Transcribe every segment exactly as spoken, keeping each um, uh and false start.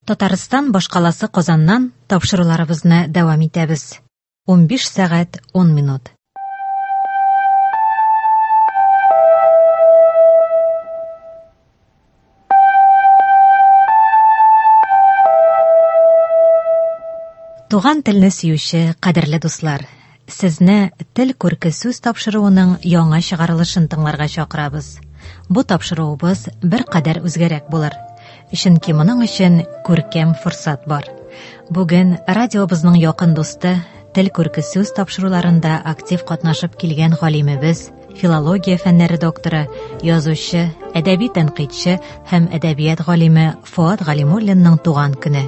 Татарстан башкаласы Казаннан тапшыруларыбызны дәвам итәбез. Унбиш сәгать ун минут. Туган телне сөюче кадерле дуслар, сезне Тел күрке сүз тапшыруының яңа чыгарылышын тыңларга чакырабыз. Бу тапшыруыбыз бер кадәр үзгәрәк булыр. Чөнки моның өчен күркәм форсат бар. Бүген радиобызның якын дусты, Тел күрке сүз тапшыруларында актив катнашып килгән галимебез, филология фәннәре докторы, язучы, әдәби тәнкыйтьче һәм әдәбият галиме Фоат Галимуллинның туган көне.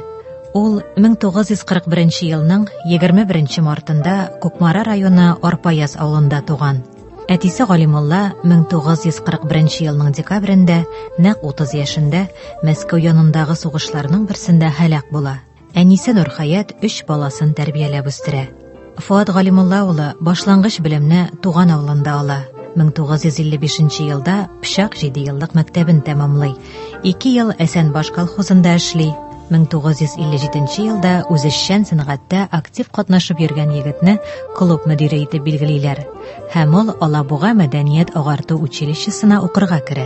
Ул мең тугыз йөз кырык беренче елның егерме беренче мартында Кукмара районы Арпаяз авылында туган. Әтисе Галимулла мең тугыз йөз кырык беренче елның декабрендә, нәкъ утыз яшендә, Мәскәү янындагы сугышларның берсендә һәлак була. Әнисе Нурхаят өч баласын тәрбияләп үстерә. Фоат Галимулла улы башлангыч белемне туган авылында ала. Мең тугыз йөз илле бишенче елда Пычак җиде еллык мәктәбен тәмамлый. Ике ел Әсәнбаш колхозында эшли. Мең тугыз йөз илле җиденче елда үзешчән сәнгатьтә актив катнашып йөргән егетне клуб мөдире итеп билгелиләр. Һәм ул Алабуга мәдәният агарту училищесына укырга керә.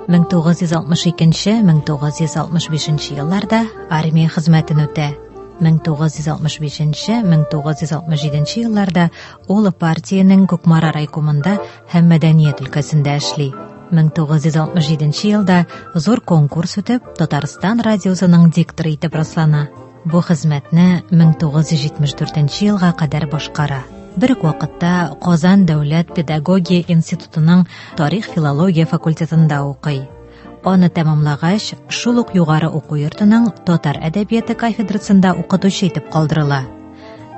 Мең тугыз йөз алтмыш икенче, мең тугыз йөз алтмыш бишенче елларда армия хезмәтен үтә. Мең тугыз йөз алтмыш бишенче, мең тугыз йөз алтмыш җиденче елларда ул партиянең Кукмара райкомында һәм мәдәният өлкәсендә эшли. Мең тугыз йөз алтмыш җиденче елда зур конкурс үтеп, Татарстан радиосының дикторы итеп раслана. Бу хезмәтне мең тугыз йөз җитмеш дүртенче елга кадәр башкара. Бер үк вакытта Казан дәүләт педагогия институтының тарих-филология факультетында укый. Аны тәмамлагач, шул ук югары уку йортының татар әдәбияты кафедрасында укытучы итеп калдырыла.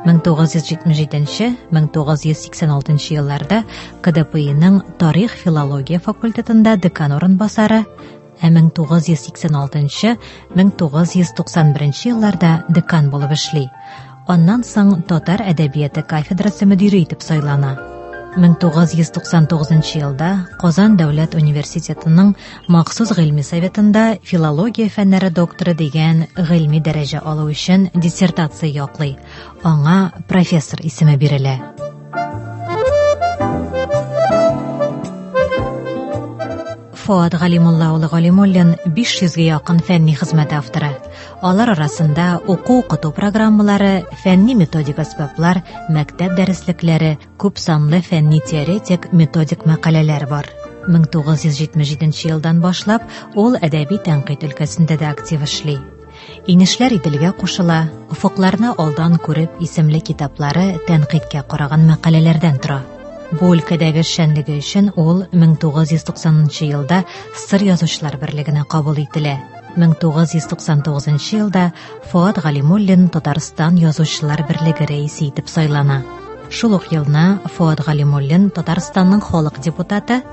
Мең тугыз йөз җитмеш җиденче, мең тугыз йөз сиксән алтынчы елларда К Д П Иның тарих-филология факультетында декан урынбасары, ә мең тугыз йөз сиксән алтынчы, мең тугыз йөз туксан беренче елларда декан булып эшли. Аннан соң татар әдәбияты кафедрасы мөдире итеп сайлана. Мең тугыз йөз туксан тугызынчы елда Казан дәүләт университетының махсус гыйльми советында филология фәннәре докторы дигән гыйльми дәрәҗә алу өчен диссертация яклый. Аңа профессор исеме бирелә. Фоат Галимулла улы Галимуллин биш йөзгә якын фәнни хезмәт авторы. Алар арасында уку-укыту программалары, фәнни методик әсбаплар, мәктәп дәреслекләре, күп санлы фәнни теоретик методик мәкаләләр бар. Мең тугыз йөз җитмеш җиденче елдан башлап ул әдәби тәнкыйть өлкәсендә дә актив эшли. Инешләр Иделгә кушыла, офыкларны алдан күреп исемле китаплары тәнкыйтькә караган мәкаләләрдән тора. Бу өлкәдәге эшчәнлеге өчен ул мең тугыз йөз туксанынчы елда Сыр язучылар берлегенә кабул ителә. Мең тугыз йөз туксан тугызынчы елда Фоат Галимуллин Татарстан язучылар берлеге рәисе итеп сайлана. Шул ук елны Фоат Галимуллин Татарстанның халык депутаты,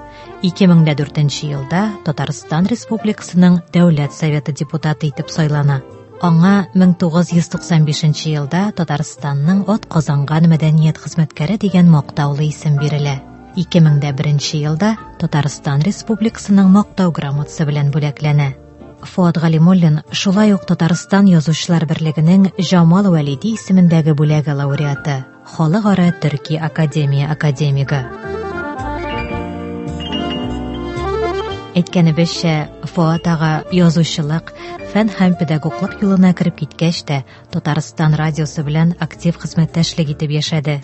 ике мең дә дүртенче елда Татарстан Республикасының Дәүләт Советы депутаты итеп сайлана. Аңа мең тугыз йөз туксан бишенче елда Татарстанның ат казанган мәдәният хезмәткәре дигән мактаулы исем бирелә. Ике мең дә беренче елда Татарстан Республикасының мактау грамотасы белән бүләкләнә. Фоат Галимуллин шулай ук Татарстан Язучылар берлегенең Җамал Вәлиди исемендәге бүләге лауреаты, Халыкара Төрки академия академигы. Әйткәнебезчә, Фоат ага язучылык, фән һәм педагоглык юлына кереп киткәч тә Татарстан радиосы белән актив хезмәттәшлек итеп яшәде.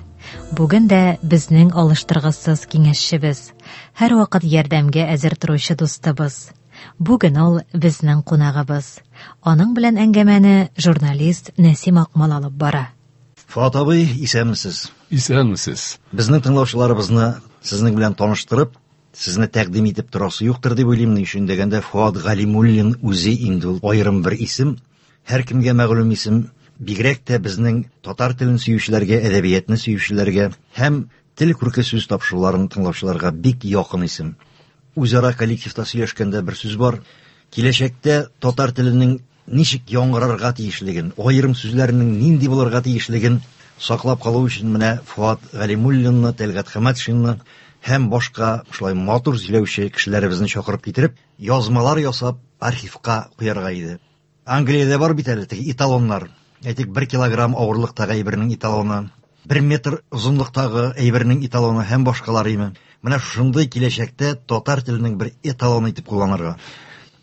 Бүген дә безнең алыштыргысыз киңәшчебез, һәрвакыт ярдәмгә әзер торучы дустыбыз. Бүген ул безнең кунагыбыз. Аның белән әңгәмәне журналист Нәсим Акмал алып бара. Фоат абый, исәнмесез? Исәнмесез. Безнең тыңлаучыларыбызны сезнең белән таныштырып, сезне тәкъдим итеп торасы юктыр дип уйлыйм. Ни өчен дигәндә, Фоат Галимуллин үзе инде ул аерым бер исем, һәркемгә мәгълүм исем, бигрәк тә безнең татар телен сөючеләргә, әдәбиятны сөючеләргә һәм тел күрке сүз тапшыруларын тыңлаучыларга бик якын исем. Үзара коллективта сөйләшкәндә бер сүз бар. Киләчәктә татар теленең ничек яңгырарга тиешлеген, аерым сүзләренең нинди булырга тиешлеген саклап калу өчен менә Фоат Галимуллинны, Тәлгать Хәмәтшинны һәм башка шулай матур сөйләүче кешеләребезне чакырып китереп, язмалар ясап архивка куярга иде. Англиядә бар бит әле теге эталоннар. Әйтик, бер килограмм авырлыктагы әйбернең эталоны, бер метр озынлыктагы әйбернең эталоны һәм башкалар име. Менә шундый киләчәктә татар теленең бер эталоны итеп кулланырга.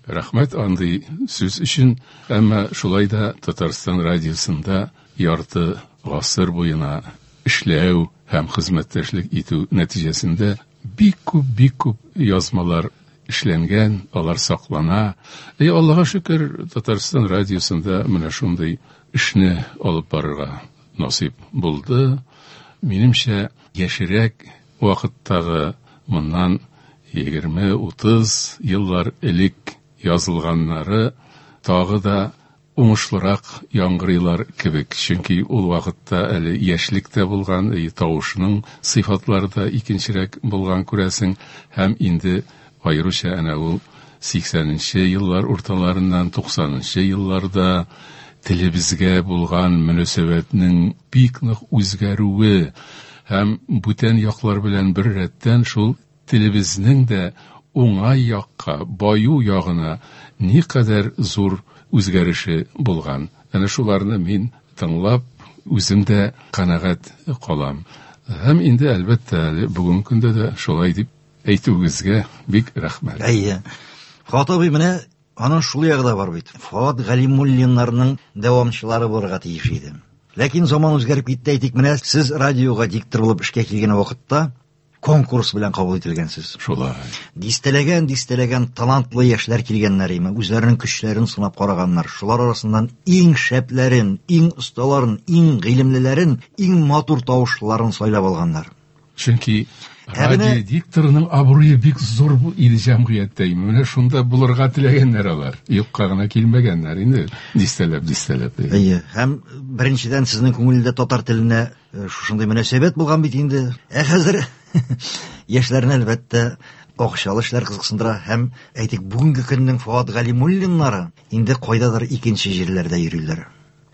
Рәхмәт андый сүз өчен, әмма шулай да Татарстан радиосында ярты гасыр буена эшләү һәм хезмәттәшлек итү нәтиҗәсендә бик күп, бик күп язмалар эшләнгән, алар саклана. И Аллага шөкер, Татарстан радиосында менә шундый эшне алып барырга насыйп булды. Минемчә, яшерәк вакыттагы моннан егерме утыз еллар элек язылганнары тагы да уңышлырак яңгырыйлар кебек. Чөнки ул вакытта әле яшьлек тә булган, и тавышның сыйфатлары да икенчерәк булган күрәсең, һәм инде аеруча әнә ул сиксәненче еллар урталарыннан туксанынчы елларда телебезгә булган мөнәсәбәтнең бик нык үзгәрүе һәм бүтән яклар белән бер рәттән шул телебезнең дә уңай якка, баю ягына никадәр зур үзгәреше булган. Әнә шуларны мин тыңлап, үзем дә канәгать калам. Һәм инде әлбәттә әле бүгенге көндә дә шулай дип әйтүегезгә бик рәхмәт. Әйе. Фоат абый, менә аның шул ягы да бар бит. Фоат Галимуллиннарның дәвамчылары булырга тиеш иде. Ләкин заман үзгәреп китте, әйтик, менә сез радиога диктор булып эшкә килгән вакытта конкурс белән кабул ителгәнсез. Шулай. Дистәләгән, дистәләгән талантлы яшьләр килгәннәр име, үзләренең көчләрен сынап караганнар. Шулар арасыннан иң шәпләрен, иң осталарын, иң гыйлемлеләрен, иң матур тавышлыларын сайлап алганнар. Чөнки Ә менә радио дикторының абруе бик зур иде җәмгыятьтә. Менә шунда булырга теләгәннәр алар. Юкка гына килмәгәннәр инде, дистәләп, дистәләп. Әйе, һәм беренчедән сезнең күңелдә татар теленә, э, шушындый мөнәсәбәт булган бит инде. Ә хәзер яшьләрне әлбәттә акчалы эшләр кызыксындыра һәм әйтик, бүгенге көннең Фоат Галимуллиннары инде кайдадыр икенче җирләрдә йөриләр.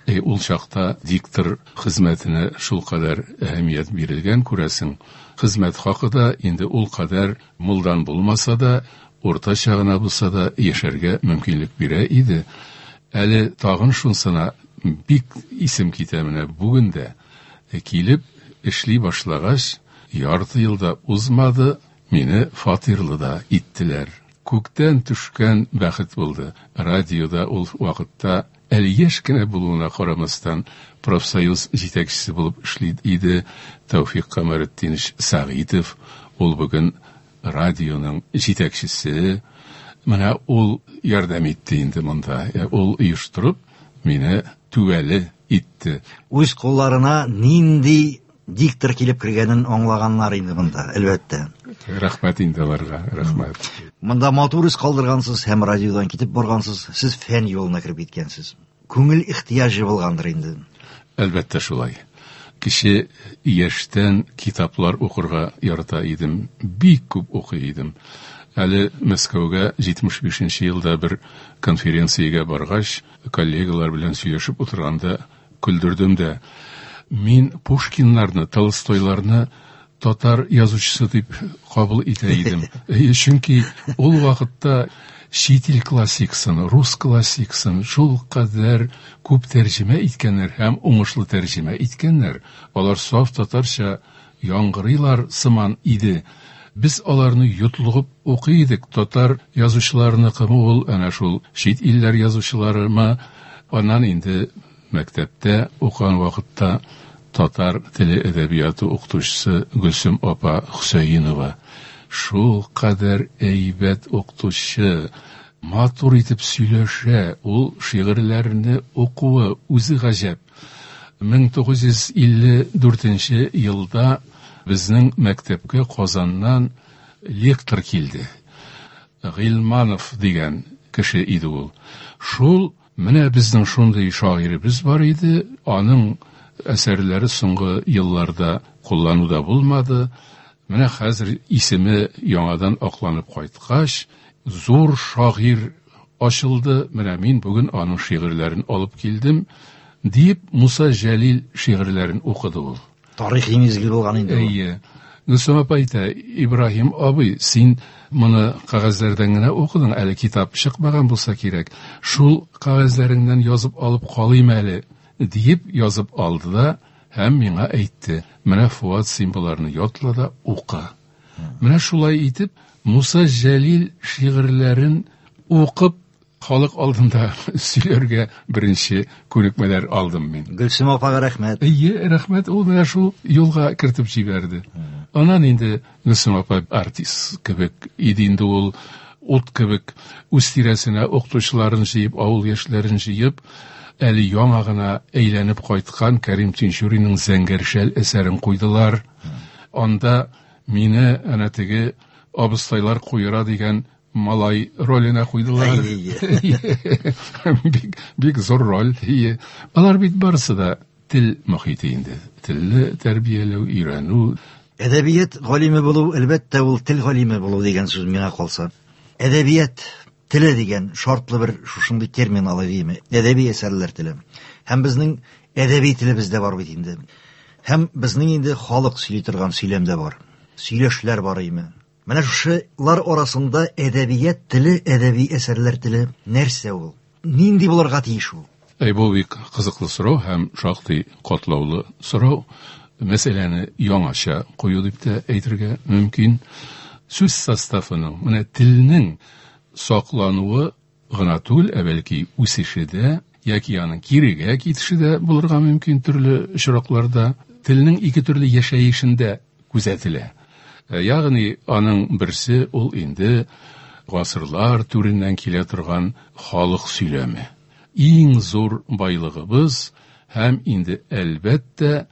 Э, ул чакта диктор хезмәтенә шул кадәр әһәмият бирелгән, күрәсең. Хезмәт хакы да инде ул кадәр мулдан булмаса да, уртача гына булса да яшәргә мөмкинлек бирә иде. Әле тагын шунсына бик исем китә, менә бүген дә килеп эшли башлагач, ярты елда узмады, мине фатирлы да иттеләр. Күктән төшкән бәхет булды. Радиода ул вакытта әле яшь кенә булуына карамастан профсоюз җитәкчесе булып эшли иде Тәүфик Камәретдинович Сәгыйтов. Ул бүген радионың җитәкчесе. Менә ул ярдәм итте инде монда. Э, ул оештырып мине түбәле итте. Үз кулларына нинди диктор килеп кергәнен аңлаганнар инде монда, әлбәттә. Рәхмәт инде аларга, рәхмәт. Монда матур эз калдыргансыз һәм радиодан китеп баргансыз, сез фән юлына кереп киткәнсез. Күңел ихтыяҗы булгандыр инде. Әлбәттә шулай. Кеше яшьтән китаплар укырга ярата идем, бик күп укый идем. Әле Мәскәүгә җитмеш бишенче елда бер конференциягә баргач, коллегалар белән сөйләшеп утырганда көлдердем дә. Мин Пушкиннарны, Толстойларны татар язучысы дип кабул итә идем. Э, чөнки ул вакытта чит ил классиксын, рус классиксын шул кадәр күп тәрҗемә иткәннәр һәм уңышлы тәрҗемә иткәннәр. Алар саф татарча яңгырыйлар сыман иде. Без аларны йотлыгып укый идек. Татар язучыларыныкымы ул, әнә шул чит илләр язучыларымы? Аннан инде мәктәптә укыган вакытта татар теле әдәбияты укытучысы Гөлсем апа Хөсәенова шул кадәр әйбәт укытучы, матур итеп сөйләшә, ул шигырьләрне укуы үзе гаҗәп. Мең тугыз йөз илле дүртенче елда безнең мәктәпкә Казаннан лектор килде. Гыйльманов дигән кеше иде ул. Шул менә безнең шундый шагыйребез бар иде, аның әсәрләре соңгы елларда куллануда булмады. Менә хәзер исеме яңадан акланып кайткач, зур шагыйрь ачылды. Менә мин бүген аның шигырьләрен алып килдем, дип Муса Җәлил шигырьләрен укыды ул. Тарихи мизгел булган инде ул. Әйе. Гөлсем апа әйтә, Ибраһим абый, син моны кәгазьләрдән генә укыдың, әле китап чыкмаган булса кирәк. Шул кәгазьләреңнән язып алып калыйм әле, диеп язып алды да һәм миңа әйтте. Менә Фуат, син боларны ятла да укы. Менә шулай итеп Муса Җәлил шигырьләрен укып халык алдында сөйләргә беренче күнекмәләр алдым мин. Гөлсем апага рәхмәт. Әйе, рәхмәт, ул менә шул юлга кертеп җибәрде. Аннан инде Гөлсем апа артист кебек иде инде ул, ут кебек үз тирәсенә укытучыларын җыеп, авыл яшьләрен җыеп, әле яңа гына әйләнеп кайткан Кәрим Тинчуринның Зәңгәр шәл әсәрен куйдылар. Анда мине әнә теге абыстайлар куера дигән малай роленә куйдылар. Бик, бик зур роль. Алар бит барысы да тел мохите инде. Телне тәрбияләү, өйрәнү. Әдәбият галиме булу, әлбәттә, ул тел галиме булу дигән сүз миңа калса. Әдәбият теле дигән шартлы бер шушындый термин алай димме? Әдәби әсәрләр теле. Һәм безнең әдәби телебез дә бар бит инде. Һәм безнең инде халык сөйли торган сөйләм дә бар. Сөйләшләр бар име? Менә шушылар арасында әдәбият теле, әдәби әсәрләр теле нәрсә ул? Нинди булырга тиеш ул? Әй, бу бик кызыклы сорау һәм шактый катлаулы сорау. Мәсьәләне яңача кую дип тә әйтергә мөмкин. Сүз составының, менә телнең саклануы гына түгел, ә бәлки үсеше дә, яки аның кирегә китеше дә булырга мөмкин төрле очракларда. Телнең ике төрле яшәешендә күзәтелә. Ягъни аның берсе ул инде гасырлар түреннән килә торган халык сөйләме. Иң зур байлыгыбыз һәм инде әлбәттә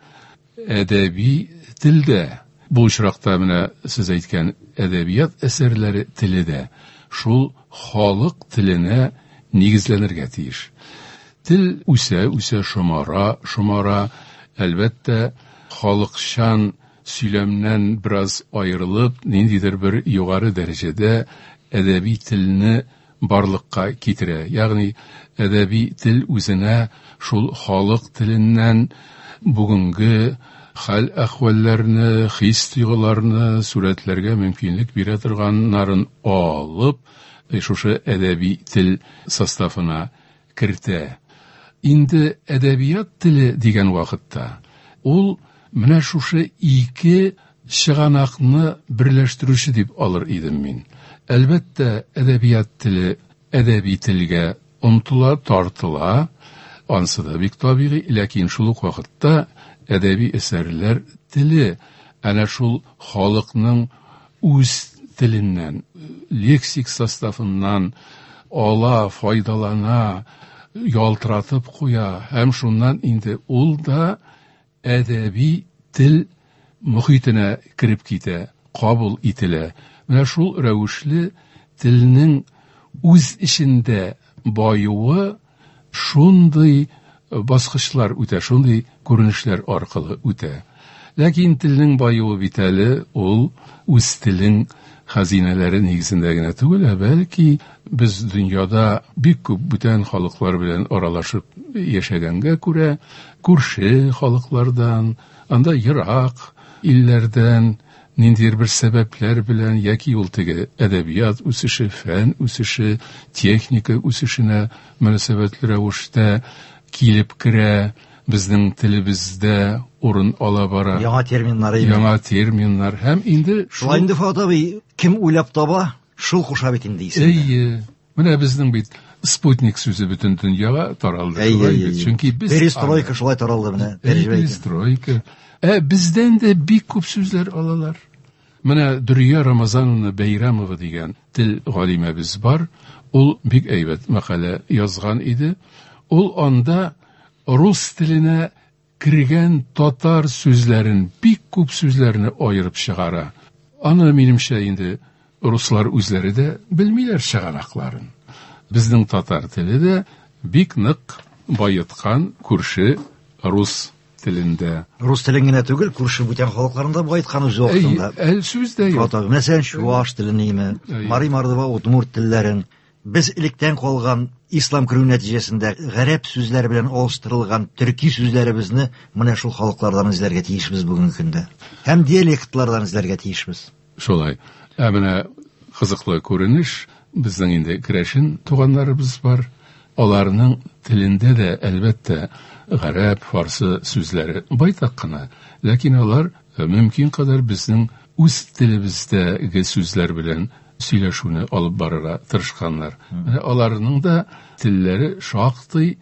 әдәби телдә. Бу очракта менә сез әйткән әдәбият әсәрләре теле дә шул халык теленә нигезләнергә тиеш. Тел үсә, үсә, шомара, шомара, әлбәттә, халыкчан сөйләмнән бераз аерылып, ниндидер бер югары дәрәҗәдә әдәби телне барлыкка китерә. Ягъни әдәби тел үзенә шул халык теленнән бүгенге хәл-әхвәлләрне, хис-тойгыларны сурәтләргә мөмкинлек бирә торганнарын алып, шушы әдәби тел составына кертә. Инде әдәбият теле дигән вакытта ул менә шушы ике чыганакны берләштерүче дип алыр идем мин. Әлбәттә, әдәбият теле әдәби телгә омтыла, тартыла, ансы да бик табигый, ләкин шул ук вакытта әдәби әсәрләр теле әнә шул халыкның үз теленнән, лексик составыннан ала, файдалана, ялтыратып куя һәм шуннан инде ул да әдәби тел мохитенә кереп китә, кабул ителә. Менә шул рәвешле телнең үз эчендә баюы шундый баскычлар үтә, шундый күренешләр аркылы үтә. Ләкин телнең баюы бит әле ул үз телең хәзинәләре нигезендә генә түгел, ә бәлки без дөньяда бик күп бүтән халыклар белән аралашып яшәгәнгә күрә, күрше халыклардан, анда ерак илләрдән ниндидер бер сәбәпләр белән яки ул теге әдәбият үсеше, фән үсеше, техника үсешенә мөнәсәбәтле рәвештә килеп керә, безнең телебездә урын ала бара. Яңа терминнар, яңа терминнар һәм инде шулай инде Фуат абый, кем уйлап таба, шул куша бит инде исемне. Әйе. Менә безнең бит спутник сүзе бөтен дөньяга таралды. Әйе, чөнки без перестройка шулай таралды менә. Перестройка. Ә бездән дә бик күп сүзләр алалар. Менә Дөрия Рамазановна Бәйрәмова дигән тел галимәбез бар. Ул бик әйбәт мәкалә язган иде. Ул анда рус теленә кергән татар сүзләрен, бик күп сүзләрне аерып чыгара. Аны минемчә инде руслар үзләре дә белмиләр чыганакларын. Безнең татар теле дә бик нык байыткан күрше рус телендә. Рус телен генә түгел, күрше бүтән халыкларында байыткан үз вакытында. Әй, сүз дә юк. Мәсәлән, чуаш телен име, мари, мордва, удмурт телләрен. Без электән калган ислам керү нәтиҗәсендә гарәп сүзләре белән алыштырылган төрки сүзләребезне менә шул халыклардан эзләргә тиешбез бүгенге көндә. Һәм диалектлардан эзләргә тиешбез. Шулай. Ә менә кызыклы күренеш, безнең инде керәшен туганнарыбыз бар. Аларның телендә дә әлбәттә гарәп, фарсы сүзләре байтак кына, ләкин алар мөмкин кадәр безнең үз телебездәге сүзләр белән сөйләшүне алып барырга тырышканнар. Менә аларның да телләре шактый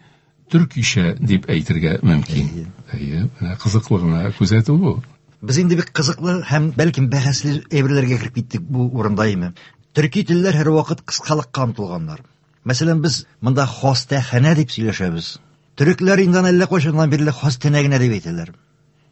төркичә дип әйтергә мөмкин. Әйе, менә кызыклы гына күзәтү бу. Без инде бик кызыклы һәм бәлкем бәхәсле әйберләргә кереп киттек бу урында име. Төрки телләр һәрвакыт кыскалыкка омтылганнар. Мәсәлән, без монда хастаханә дип сөйләшәбез. Төрекләр инде әллә кайчаннан бирле хастаханә генә дип әйтәләр.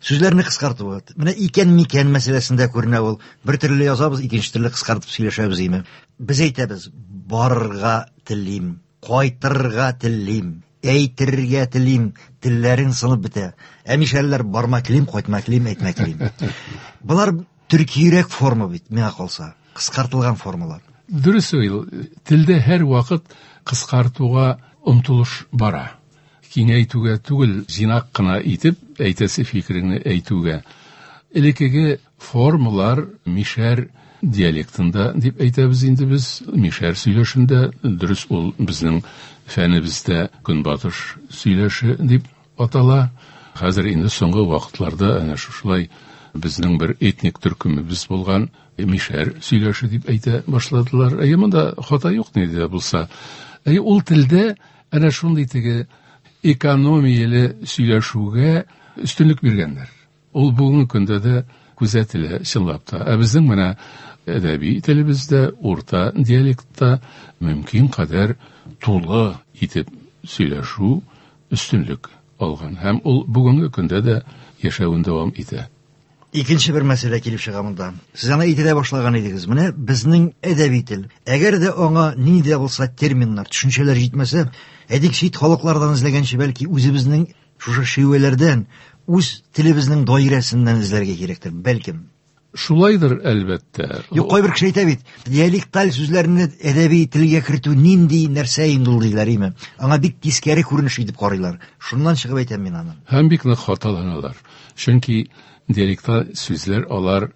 Сүзләрне кыскарту. Менә икән микән мәсьәләсендә күренә ул. Бер төрле язабыз, икенче төрле кыскартып сөйләшәбез име. Без әйтәбез, барырга телим, кайтырга телим, әйтергә телим, телләрең сынып бетә. Ә мишәрләр барма телим, кайтма телим, әйтмә телим. Болар төркиерәк форма бит, миңа калса, кыскартылган формалар. Дөрес ул, телдә һәр вакыт кыскартуга омтылыш бара. Киңәйтүгә түгел, җыйнак кына итеп әйтәсе фикереңне әйтүгә. Элеккеге формалар мишәр диалектында дип әйтәбез инде без, мишәр сөйләшендә, дөрес ул безнең фәнебездә көнбатыш сөйләше дип атала. Хәзер инде соңгы вакытларда әнә шушылай безнең бер этник төркемебез булган мишәр сөйләше дип әйтә башладылар. Әйе, монда хата юк ни дә булса. Әйе, ул телдә әнә шундый теге экономияле сөйләшүгә өстенлек биргәннәр. Ул бүгенге көндә дә күзәтелә чынлап та. Ә безнең менә әдәби телебездә, урта диалектта мөмкин кадәр тулы итеп сөйләшү өстенлек алган. Һәм ул бүгенге көндә дә яшәвен дәвам итә. Икенче бер мәсьәлә килеп чыга монда. Сез аны әйтә дә башлаган идегез. Менә безнең әдәби тел. Әгәр дә аңа нинди дә булса терминнар, төшенчәләр җитмәсә, әйтик, чит халыклардан эзләгәнче, бәлки үзебезнең шушы шивәләрдән, үз телебезнең даирәсеннән эзләргә кирәктер, бәлкем. Шулайдыр, әлбәттә. Юк, кайбер кеше әйтә бит, диалекталь сүзләрне әдәби телгә кертү нинди нәрсә инде ул диләр име. Аңа бик тискәре күренеш итеп карыйлар. Шуннан чыгып әйтәм мин аны. Һәм бик нык хаталаналар. Чөнки диалекталь сүзләр алар,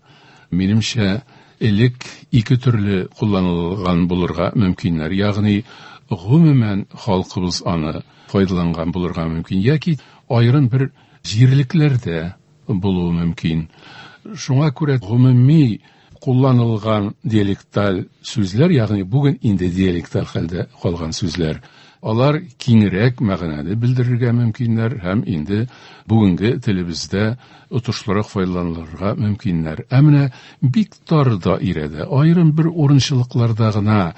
минемчә, элек ике төрле кулланылган булырга мөмкиннәр. Ягъни, гомумән халкыбыз аны файдаланган булырга мөмкин, яки аерым бер җирлекләрдә булуы мөмкин. Шуңа күрә гомуми кулланылган диалекталь сүзләр, ягъни бүген инде диалекталь хәлдә калган сүзләр, алар киңрәк мәгънәне белдерергә мөмкиннәр һәм инде бүгенге телебездә отышлырак файдаланылырга мөмкиннәр. Ә менә бик тар даирәдә, аерым бер урынчылыкларда гына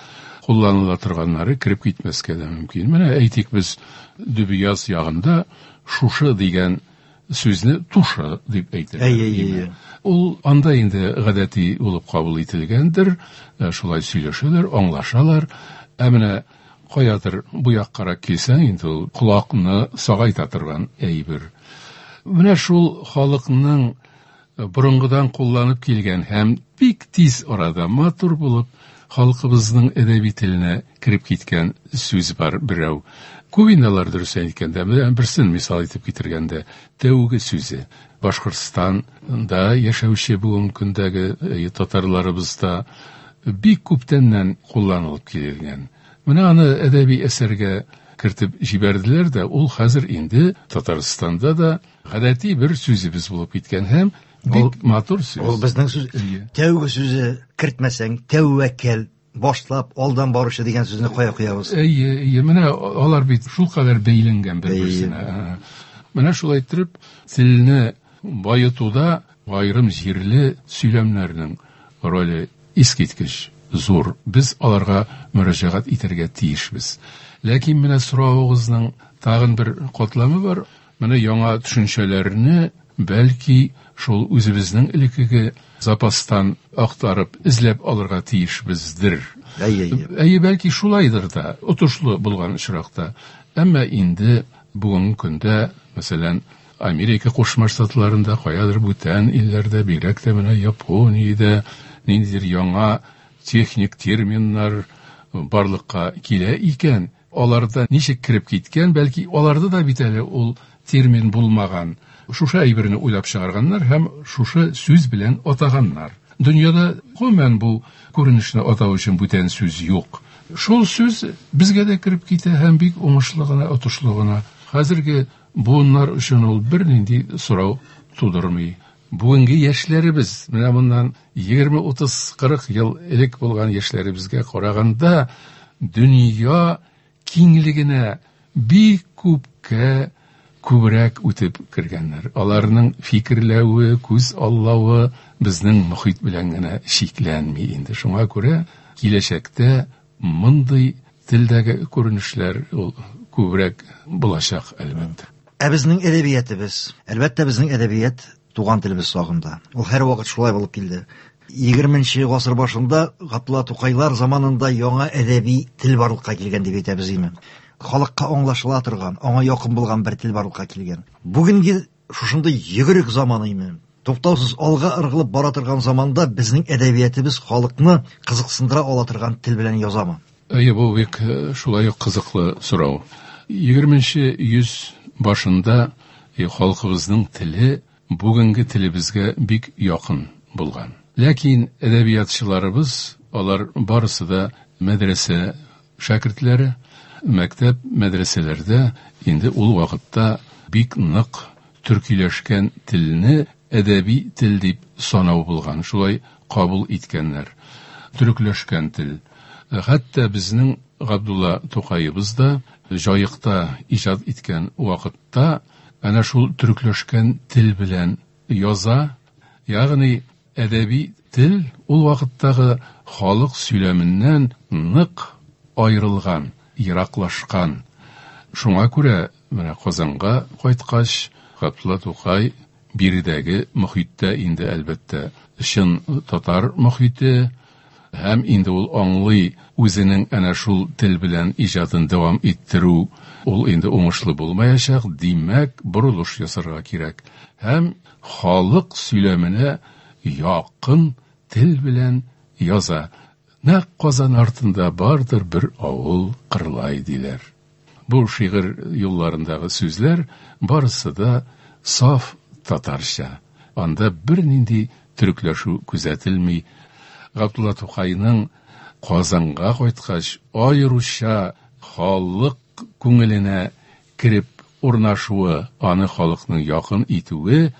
кулланыла торганнары кереп китмәскә дә мөмкин. Менә әйтик, без Дөбъяз ягында шушы дигән сүзне тушы дип әйтәләр. Әй, әй, әй, әй. Ул анда инде гадәти булып кабул ителгәндер, шулай сөйләшәләр, аңлашалар. Ә менә каядыр бу яккарак килсәң, инде ул колакны сагайта торган әйбер. Менә шул халыкның борынгыдан кулланып килгән һәм бик тиз арада матур булып халкыбызның әдәби теленә кереп киткән сүз бар берәү. Күп инде алар, дөрес әйткәндә, менә берсен мисал итеп китергәндә, тәүге сүзе. Башкортстанда яшәүче бүгенге көндәге татарларыбызда бик күптәннән кулланылып килгән. Менә аны әдәби әсәргә кертеп җибәрделәр дә, ул хәзер инде Татарстанда да гадәти бер сүзебез булып киткән һәм бик матур сүз. Ул безнең сүз. Тәүге сүзе кертмәсәң, тәвәккәл, башлап, алдан баручы дигән сүзне кая куябыз? Әйе, әйе, менә алар бит шулкадәр бәйләнгән бер-берсенә. Менә шулай итеп, телне баетуда аерым җирле сөйләмнәрнең роле искиткеч зур. Без аларга мөрәҗәгать итәргә тиешбез. Ләкин менә соравыгызның тагын бер катламы бар. Менә яңа төшенчәләрне бәлки шул үзебезнең элеккеге запастан актарып, эзләп алырга тиешбездер. Әйе, әйе. Әйе, бәлки шулайдыр да, отышлы булган очракта. Әмма инде бүгенге көндә, мәсәлән, Америка Кушма Штатларында, каядыр бүтән илләрдә, бигрәк тә менә Япониядә ниндидер яңа техник терминнар, барлыкка килә икән, аларда ничек кереп киткән, бәлки аларда да бит әле ул термин булмаган. Шушы әйберне уйлап чыгарганнар һәм шушы сүз белән атаганнар. Дөньяда гомумән бу күренешне атау өчен бүтән сүз юк. Шул сүз безгә дә кереп китә һәм бик уңышлы гына, отышлы гына. Хәзерге буыннар өчен ул бернинди сорау тудырмый. Бүгенге яшьләребез, менә моннан егерме, утыз, кырык ел элек булган яшьләребезгә караганда дөнья киңлегенә бик күпкә күбрәк үтеп кергәннәр. Аларның фикерләве, күз аллавы безнең мохит белән генә чикләнми инде. Шуңа күрә киләчәктә мондый телдәге күренешләр ул күбрәк булачак, әлбәттә. Ә безнең әдәбиятыбыз, әлбәттә, безнең әдәбият туган телебез сагында. Ул һәрвакыт шулай булып килде. Егерменче гасыр башында Габдулла Тукайлар заманында яңа әдәби тел барлыкка килгән дип әйтәбез име. Халыкка аңлашыла торган, аңа якын булган бер тел барлыкка килгән. Бүгенге шушындый йөгерек заман име. Туктаусыз алга ыргылып бара торган заманда безнең әдәбиятыбыз халыкны кызыксындыра ала торган тел белән язамы? Әйе, бу бик шулай ук кызыклы сорау. Егерменче йөз башында халкыбызның теле бүгенге телебезгә бик якын булган. Ләкин әдәбиятчыларыбыз, алар барысы да мәдрәсә шәкертләре, мәктәп мәдрәсәләрдә инде ул вакытта бик нык төркиләшкән телне әдәби тел дип санау булган, шулай кабул иткәннәр. Төркләшкән тел. Хәтта безнең Габдулла Тукаебыз да Җаекта иҗат иткән вакытта әнә шул төркләшкән тел белән яза, ягъни әдәби тел ул вакыттагы халык сөйләменнән нык аерылган, ераклашкан. Шуңа күрә менә Казанга кайткач, Габдулла Тукай биредәге мохиттә инде әлбәттә чын татар мохите һәм инде ул аңлый үзенең әнә шул тел белән иҗатын дәвам иттерү ул инде уңышлы булмаячак, димәк, борылыш ясарга кирәк. Һәм халык сөйләменә якын тел белән яза. Нәкъ Казан артында бардыр бер авыл Кырлай диләр. Бу шигырь юлларындагы сүзләр барысы да саф татарча. Анда бернинди төрекләшү күзәтелми. Габдулла Тукайның Казанга кайткач аеруча халык күңеленә кереп урнашуы, аны халыкның якын итүе,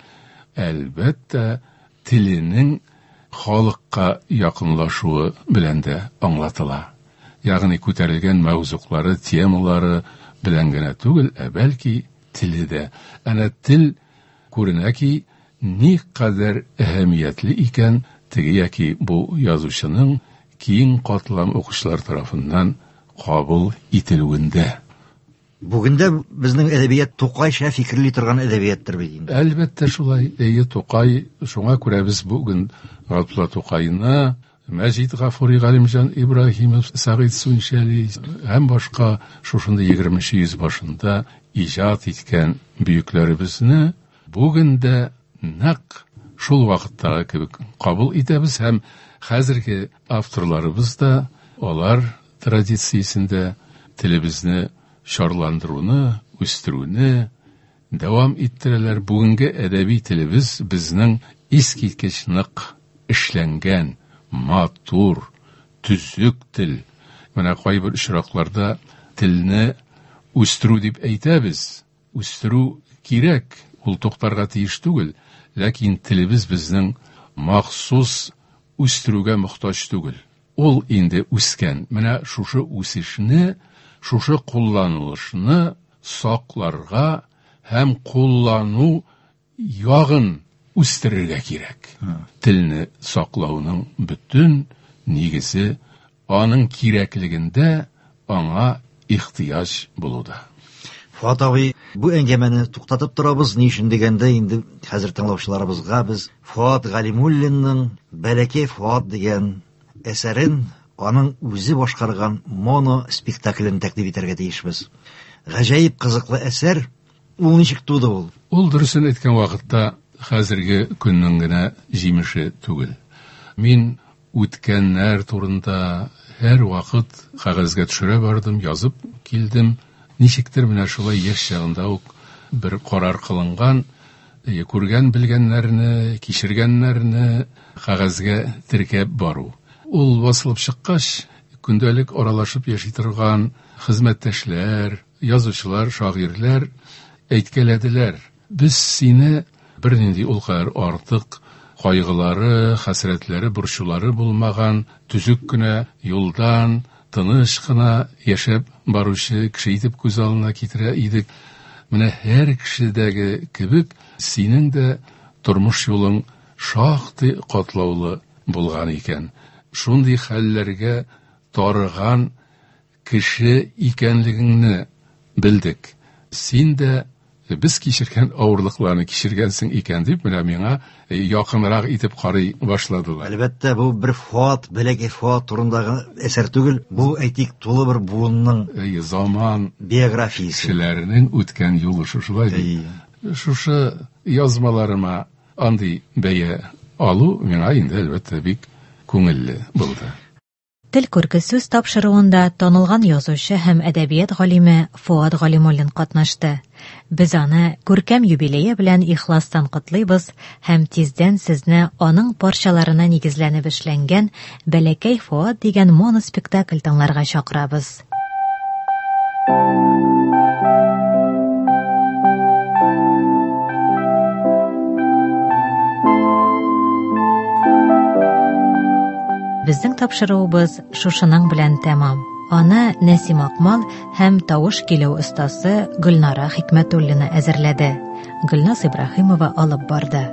әлбәттә, теленең халыкка якынлашуы белән дә аңлатыла. Ягъни күтәрелгән мәүзуклары, темалары белән генә түгел, ә бәлки теле дә. Әнә тел күренә ки, ни кадәр әһәмиятле икән теге яки бу язучының киң катлам укучылар тарафыннан кабул ителүендә. Бүген дә безнең әдәбият Тукайча фикерли торган әдәбияттыр бит инде. Әлбәттә шулай. Әйе, Тукай, шуңа күрә без бүген Габдулла Тукайны, Мәҗит Гафури, Галимҗан Ибраһимов, Сәгыйть Сүнчәли һәм башка шушындый егерменче йөз башында иҗат иткән бөекләребезне бүген дә нәкъ шул вакыттагы кебек кабул итәбез һәм хәзерге авторларыбыз да алар традициясендә телебезне чарландыруны, үстерүне дәвам иттерәләр. Бүгенге әдәби телебез безнең искиткеч нык эшләнгән, матур, төзек тел. Менә кайбер очракларда телне үстерү дип әйтәбез. Үстерү кирәк, ул туктарга тиеш түгел, ләкин телебез безнең махсус үстерүгә мохтаҗ түгел. Ул инде үскән. Менә шушы үсешне, шушы кулланылышны сакларга һәм куллану ягын үстерергә кирәк. Телне саклауның бөтен нигезе аның кирәклегендә, аңа ихтыяҗ булуда. Фуат абый, бу әңгәмәне туктатып торабыз. Ни өчен дигәндә, инде хәзер тыңлаучыларыбызга без Фуат Галимуллинның Бәләкәй Фуат дигән әсәрен, аның үзе башкарган моно спектаклен тәкъдим итәргә тиешбез. Гаҗәеп кызыклы әсәр. Ул ничек туды ул? Ул дөресен әйткән вакытта хәзерге көннең генә җимеше түгел. Мин үткәннәр турында Һәрвакыт кәгазьгә төшерә бардым, язып килдем. Ничектер менә шулай яшь чагында ук бер карар кылынган, күргән белгәннәрне, кичергәннәрне кәгазьгә теркәп бару. Ул басылып чыккач, көндәлек аралашып яши торган хезмәттәшләр, язучылар, шагыйрьләр әйткәләделәр. Без сине бернинди ул кадәр артык кайгылары, хәсрәтләре, борчулары булмаган, төзек кенә юлдан, тыныч кына яшәп баручы кеше итеп күз алдына китерә идек. Менә һәр кешедәге кебек синең дә тормыш юлың шактый катлаулы булган икән. Шундый хәлләргә тарыган кеше икәнлегеңне белдек. Син дә без кичергән авырлыкларны кичергәнсең икән дип, менә миңа якынрак итеп карый башладылар. Әлбәттә, бу бер Фуат, бәләкәй Фуат турындагы әсәр түгел, бу әйтик тулы бер буынның заман биографиясе. Кешеләренең үткән юлы шушылай бит. Шушы язмаларыма андый бәя алу миңа инде әлбәттә бик күңелле булды. Тел күрке сүз тапшыруында танылган язучы һәм әдәбият галиме Фуат Галимуллин катнашты. Без аны күркәм юбилее белән ихластан котлыйбыз һәм тиздән сезне аның парчаларына нигезләнеп эшләнгән Бәләкәй Фуат дигән моноспектакль тыңларга чакырабыз. Безнең тапшыруыбыз шушының белән тәмам. Аны Нәсим Акмал һәм тавыш килү остасы Гөлнара Хикмәтуллина әзерләде. Гөлназ Ибраһимова алып барды.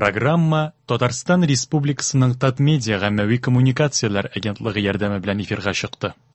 Программа Татарстан Республикасының Татмедиа гаммәви коммуникацияләр агентлыгы ярдәме белән эфирга чыкты.